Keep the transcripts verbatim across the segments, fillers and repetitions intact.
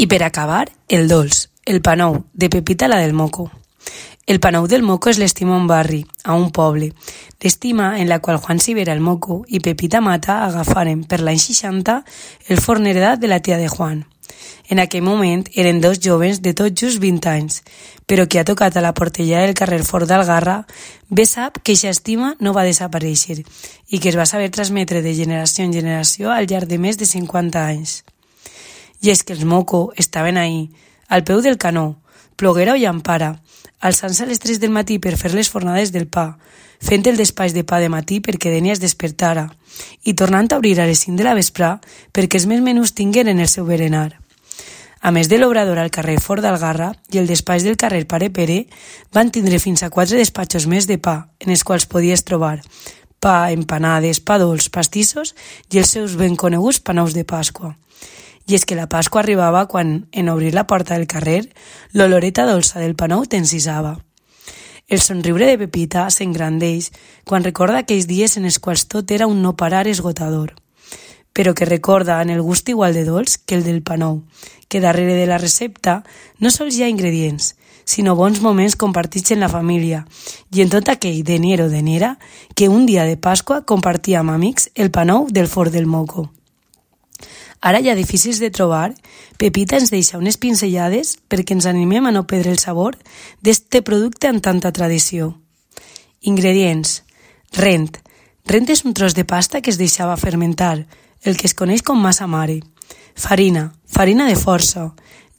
I per acabar, el dolç, el pa nou, de Pepita la del Moco. El pa nou del Moco és l'estima a un barri, a un poble. L'estima en la qual Juan Sivera el Moco i Pepita Mata agafaren per l'any seixanta el forn heredat de la tia de Juan. En aquell moment eren dos jovens de tot just vint anys, però qui ha tocat a la portella del carrer Fort d'Algarra bé sap que eixa estima no va desaparèixer i que es va saber transmetre de generació en generació al llarg de més de cinquanta anys. I és que els Moco estaven ahí, al peu del canó, ploguera o llampara, alçant-se a les tres del matí per fer les fornades del pa, fent el despatx de pa de matí perquè Denia es despertara, i tornant a obrir a les cinc de la vesprà perquè els més menús tingueren el seu berenar. A més de l'obrador al carrer Fort d'Algarra i el despatx del carrer Pare Pere, van tindre fins a quatre despatxos més de pa, en els quals podies trobar pa, empanades, pa dolç, pastissos i els seus ben coneguts panous de Pasqua. I és que la Pasqua arribava quan, en obrir la porta del carrer, l'oloreta dolça del pa nou t'encisava. El somriure de Pepita s'engrandeix quan recorda aquells dies en els quals tot era un no parar esgotador, però que recorda en el gust igual de dolç que el del pa nou, que darrere de la recepta no sols hi ha ingredients, sinó bons moments compartits en la família i en tot aquell deniero o deniera que un dia de Pasqua compartia amb amics el pa nou del Fort del Moco. Ara ja difícils de trobar, Pepita ens deixa unes pinzellades perquè ens animem a no perdre el sabor d'este producte amb tanta tradició. Ingredients. Rent. Rent és un tros de pasta que es deixava fermentar, el que es coneix com massa mare. Farina. Farina de força.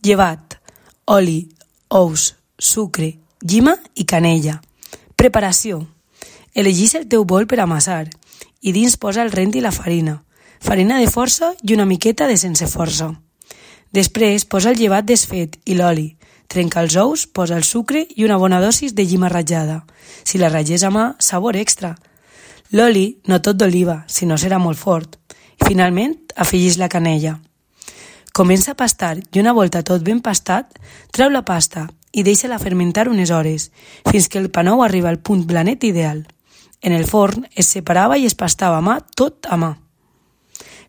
Llevat. Oli. Ous. Sucre. Llima i canella. Preparació. Elegís el teu bol per amassar i dins posa el rent i la farina. Farina de força i una miqueta de sense força. Després posa el llevat desfet i l'oli. Trenca els ous, posa el sucre i una bona dosis de llima ratllada. Si la ratlles a mà, sabor extra. L'oli, no tot d'oliva, si no serà molt fort. I finalment, afegís la canella. Comença a pastar i una volta tot ben pastat, treu la pasta i deixa-la fermentar unes hores, fins que el pa nou arriba al punt blanet ideal. En el forn es separava i es pastava a mà tot a mà.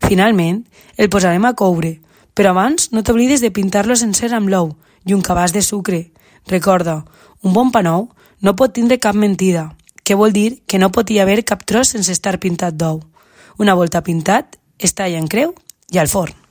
Finalment, el posarem a coure, però abans no t'oblides de pintar-lo sencer amb l'ou i un cabàs de sucre. Recorda, un bon pa nou no pot tindre cap mentida, que vol dir que no pot hi haver cap tros sense estar pintat d'ou. Una volta pintat, es talla en creu i al forn.